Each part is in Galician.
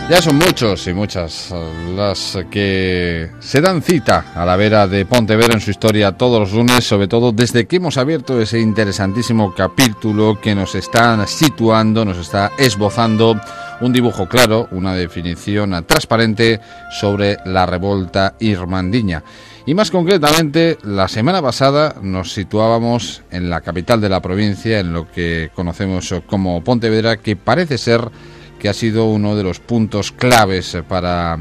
Ya son muchos y muchas las que se dan cita a la vera de Pontevedra en su historia todos los lunes, sobre todo desde que hemos abierto ese interesantísimo capítulo que nos está situando, nos está esbozando un dibujo claro, una definición transparente sobre la revolta irmandiña. Y más concretamente, la semana pasada nos situábamos en la capital de la provincia, en lo que conocemos como Pontevedra, que parece ser que ha sido uno de los puntos claves para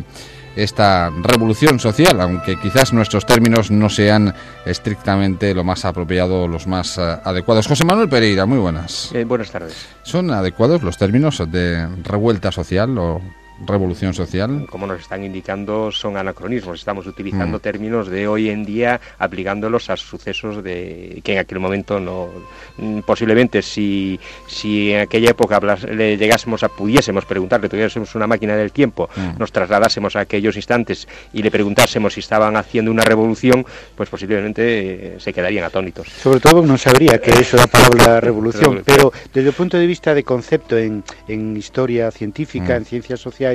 esta revolución social, aunque quizás nuestros términos no sean estrictamente lo más apropiado, los más adecuados. José Manuel Pereira, muy buenas. Buenas tardes. ¿Son adecuados los términos de revuelta social o revolución social? Como nos están indicando, son anacronismos. Estamos utilizando términos de hoy en día, aplicándolos a sucesos de que en aquel momento no. Posiblemente, si en aquella época pudiésemos preguntarle, tuviésemos una máquina del tiempo, nos trasladásemos a aquellos instantes y le preguntásemos si estaban haciendo una revolución, pues posiblemente se quedarían atónitos. Sobre todo no sabría que eso era la palabra revolución, pero desde el punto de vista de concepto en historia científica, en ciencias sociales,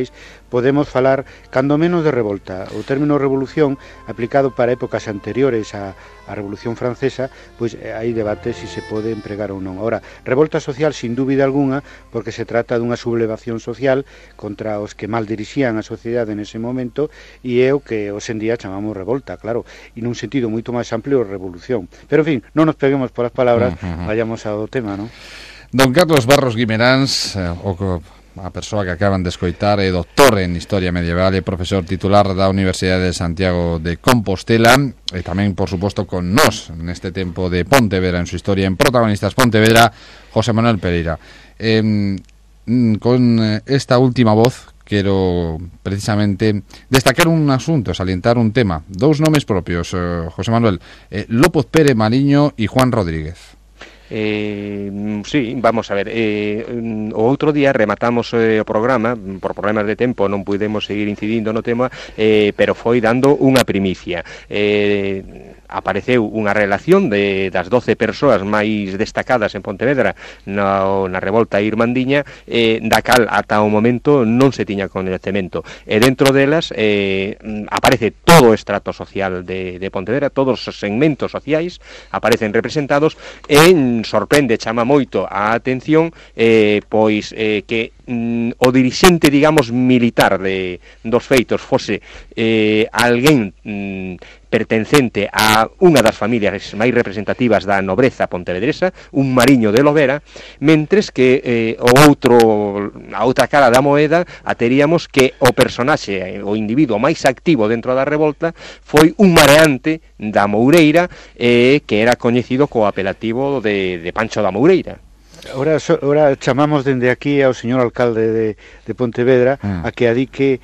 podemos falar cando menos de revolta. O término revolución aplicado para épocas anteriores á Revolución Francesa, pois hai debate se se pode empregar ou non. Ahora, revolta social sin dúbida alguna, porque se trata dunha sublevación social contra os que mal dirixían a sociedade nese momento, e é o que hoxe en día chamamos revolta, claro, e nun sentido moito máis amplio revolución. Pero en fin, non nos peguemos polas palabras, vayamos ao tema, non? Don Carlos Barros Guimeráns, a persoa que acaban de escoitar, é doctor en Historia Medieval e profesor titular da Universidade de Santiago de Compostela, e tamén, por suposto, con nós neste tempo de Pontevedra en su historia, en Protagonistas Pontevedra, José Manuel Pereira. Con esta última voz quero precisamente destacar un asunto, salientar un tema, dous nomes propios, José Manuel, López Pérez Mariño e Juan Rodríguez. Sí, vamos a ver, o outro día rematamos o programa, por problemas de tempo non pudemos seguir incidindo no tema, pero foi dando unha primicia. Apareceu unha relación das 12 persoas máis destacadas en Pontevedra na revolta irmandiña, da cal ata o momento non se tiña coñecemento, e dentro delas aparece todo o estrato social de Pontevedra, todos os segmentos sociais aparecen representados, e sorprende, chama moito a atención pois que o dirixente, digamos, militar dos feitos fose alguén pertencente a unha das familias máis representativas da nobreza pontevedresa, un mariño de Lovera, mentres que a outra cara da moeda teríamos que o personaxe, o individuo máis activo dentro da revolta foi un mareante da Moureira, que era coñecido co apelativo de Pancho da Moureira. Ora chamamos dende aquí ao señor alcalde de Pontevedra a que adique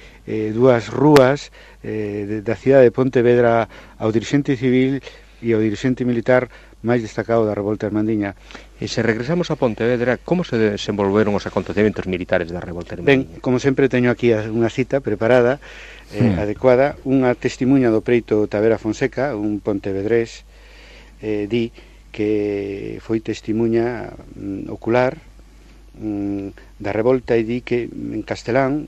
dúas rúas da cidade de Pontevedra ao dirixente civil e ao dirixente militar máis destacado da revolta irmandiña. E se regresamos a Pontevedra, como se desenvolveron os acontecementos militares da revolta irmandiña? Ben, como sempre teño aquí unha cita preparada, adecuada, unha testimuña do preito Tavera Fonseca, un pontevedrés, di que foi testimuña ocular da revolta, e di que en castelán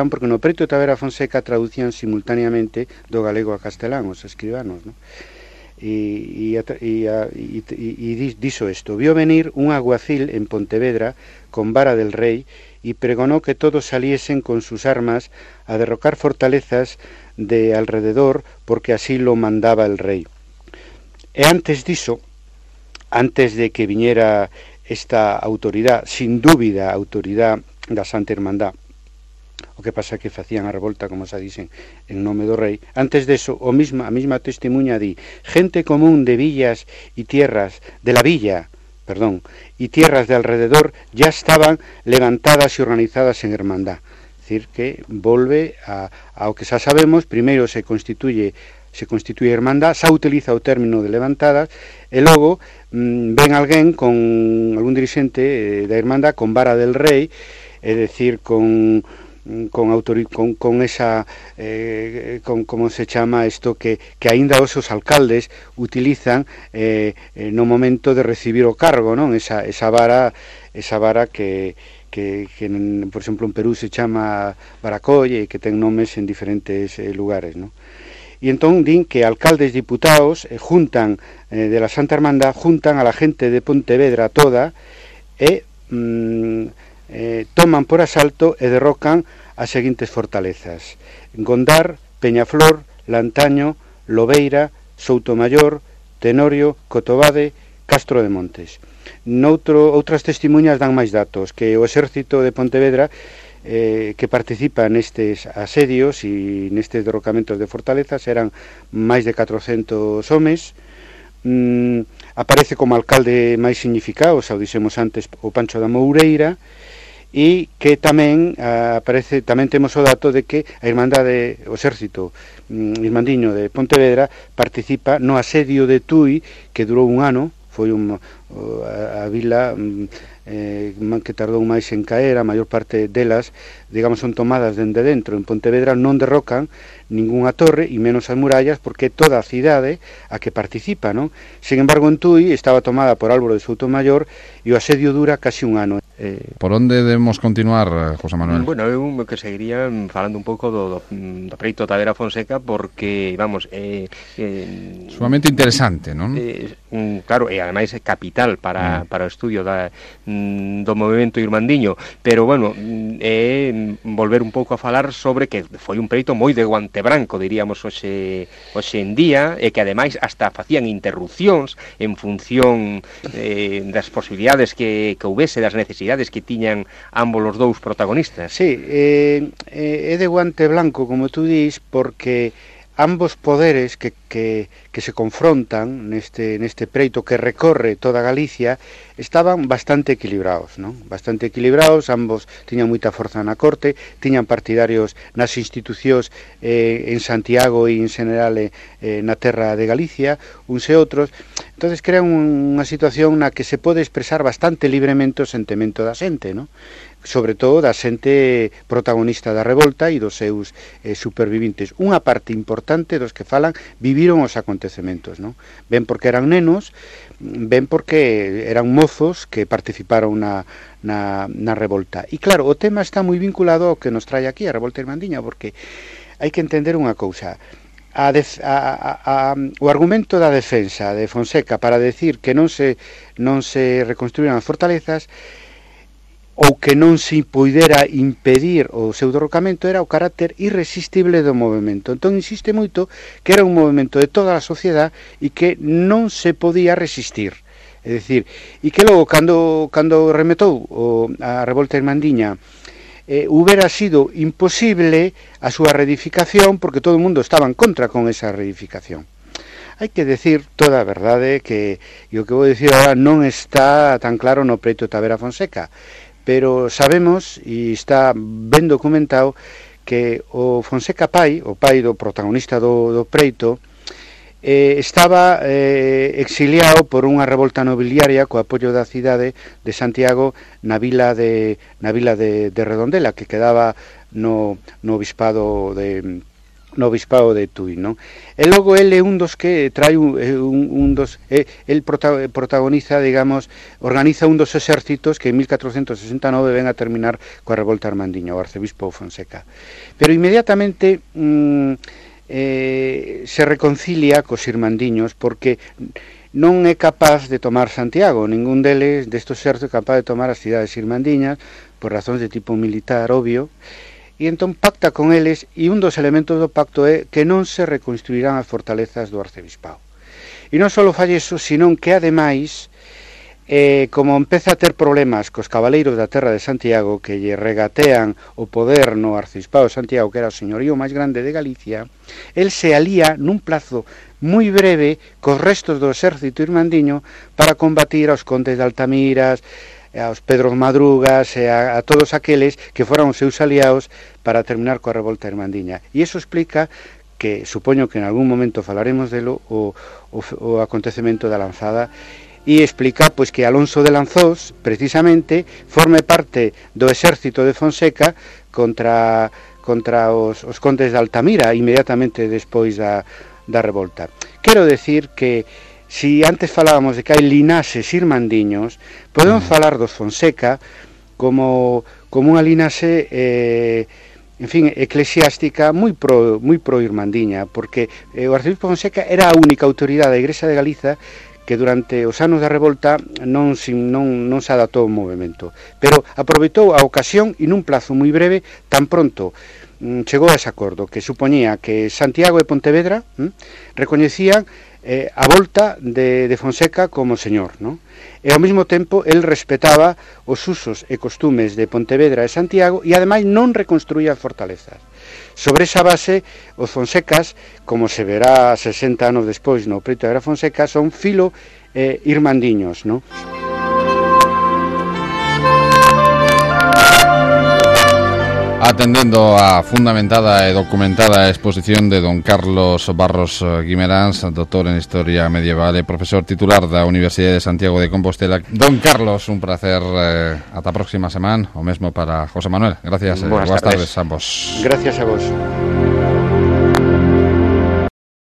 porque no preito Tavera Fonseca traducían simultaneamente do galego a castelán os escribanos, non? E dixo isto: vio venir un aguacil en Pontevedra con vara del rey e pregonó que todos saliesen con sus armas a derrocar fortalezas de alrededor, porque así lo mandaba el rey. E antes diso, antes de que viñera esta autoridade, sin dúbida autoridade da Santa Irmandad, o que pasa que facían a revolta, como se dicen, en nome do rei, antes deso, a mesma testimuña di: gente común de villas y tierras, de la villa, y tierras de alrededor ya estaban levantadas y organizadas en hermandad. Es decir, que volve ao que xa sabemos. Primeiro se constituye hermandad, xa utiliza o término de levantadas, e logo ven alguén con algún dirixente da hermandad con vara del rei, é dicir, con esa como se chama isto que aínda os alcaldes utilizan no momento de recibir o cargo, non? Esa vara que por exemplo, en Perú se chama Baracolle, e que ten nomes en diferentes lugares, ¿no? E entón din que alcaldes diputados juntan de la Santa Hermandad, juntan a la gente de Pontevedra toda e toman por asalto e derrocan as seguintes fortalezas: Gondar, Peñaflor, Lantaño, Lobeira, Soutomayor, Tenorio, Cotobade, Castro de Montes. Outras testimuñas dan máis datos, que o exército de Pontevedra que participa nestes asedios e nestes derrocamentos de fortalezas eran máis de 400 homes. Aparece como alcalde máis significado, xa o dixemos antes, o Pancho da Moureira, e que tamén tamén temos o dato de que a Irmandade, o exército irmandiño de Pontevedra participa no asedio de Tui, que durou un ano. Foi a vila que tardou máis en caer. A maior parte delas, digamos, son tomadas dende dentro. En Pontevedra non derrocan ningunha torre e menos as murallas, porque toda a cidade a que participa, non? Sin embargo, en Tui estaba tomada por Álvaro de Soutomayor e o asedio dura casi un ano. Por onde debemos continuar, José Manuel? Bueno, eu que seguiría falando un pouco do preito Tavera Fonseca, porque, vamos, sumamente interesante, non? Claro, e ademais é capital para o estudio do movimento irmandiño, pero, bueno, volver un pouco a falar sobre que foi un preito moi de guante branco, diríamos, hoxe en día, e que ademais hasta facían interrupcións en función das posibilidades que houvese, das necesidades que tiñan ambos os dous protagonistas. Sí, é de guante blanco, como tú dis, porque ambos poderes que se confrontan neste preito que recorre toda Galicia estaban bastante equilibrados, non? Bastante equilibrados, ambos tiñan moita forza na corte, tiñan partidarios nas institucións en Santiago e en general na terra de Galicia, uns e outros. Entonces crean unha situación na que se pode expresar bastante libremente o sentimento da xente, non? Sobre todo da xente protagonista da revolta e dos seus supervivintes. Unha parte importante dos que falan viviron os acontecementos, non? Ben porque eran nenos, ben porque eran mozos que participaron na revolta. E claro, o tema está moi vinculado ao que nos trae aquí a revolta irmandiña, porque hai que entender unha cousa. O argumento da defensa de Fonseca para decir que non se reconstruíran as fortalezas ou que non se poidera impedir o seu derrocamento era o carácter irresistible do movimento. Entón insiste moito que era un movimento de toda a sociedade e que non se podía resistir. É dicir, e que logo cando remetou a revolta irmandiña hubiera sido imposible a súa reedificación, porque todo o mundo estaba en contra con esa reedificación. Hai que decir toda a verdade que o que vou dicir agora non está tan claro no preito Tavera Fonseca, pero sabemos, e está ben documentado, que o Fonseca pai, o pai do protagonista do preito, estaba exiliado por unha revolta nobiliaria co apoio da cidade de Santiago na vila de Redondela, que quedaba no obispado de Tui, non? E logo ele é un dos que trae el protagoniza, digamos, organiza un dos exércitos que en 1469 ven a terminar coa revolta irmandiña, o arcebispo Fonseca. Pero inmediatamente se reconcilia cos irmandiños, porque non é capaz de tomar Santiago, ningún destos exércitos é capaz de tomar as cidades irmandiñas por razóns de tipo militar, obvio. E entón pacta con eles, e un dos elementos do pacto é que non se reconstruirán as fortalezas do arcebispado. E non só fai iso, senón que ademais, como empeza a ter problemas cos cabaleiros da terra de Santiago, que lle regatean o poder no arcebispado de Santiago, que era o señorío máis grande de Galicia, el se alía nun plazo moi breve cos restos do exército irmandiño para combatir aos condes de Altamiras, aos Pedros Madrugas e a todos aqueles que foran os seus aliados para terminar coa revolta irmandiña. E iso explica que, supoño que en algún momento falaremos delo, o acontecemento da lanzada, e explica pois que Alonso de Lanzós, precisamente, forme parte do exército de Fonseca contra os condes de Altamira inmediatamente despois da revolta. Quero decir que si antes falábamos de que hai linaxes irmandiños, podemos falar dos Fonseca como unha linaxe en fin, eclesiástica moi pro irmandiña, porque o arcebispo Fonseca era a única autoridade da Igrexa de Galiza que durante os anos da revolta non se adaptou ao movimento, pero aproveitou a ocasión e nun plazo moi breve, tan pronto chegou a ese acordo que supoñía que Santiago e Pontevedra recoñecían a volta de Fonseca como señor, non? E ao mesmo tempo el respetaba os usos e costumes de Pontevedra e Santiago e ademais non reconstruía fortalezas. Sobre esa base, os Fonsecas, como se verá 60 anos despois no preito de Fonseca, son filo irmandiños, non? Atendendo a fundamentada e documentada exposición de don Carlos Barros Guimeráns, doctor en Historia Medieval e profesor titular da Universidade de Santiago de Compostela. Don Carlos, un placer, ata a próxima semana, o mesmo para José Manuel. Gracias, boas tardes a ambos. Gracias a vos.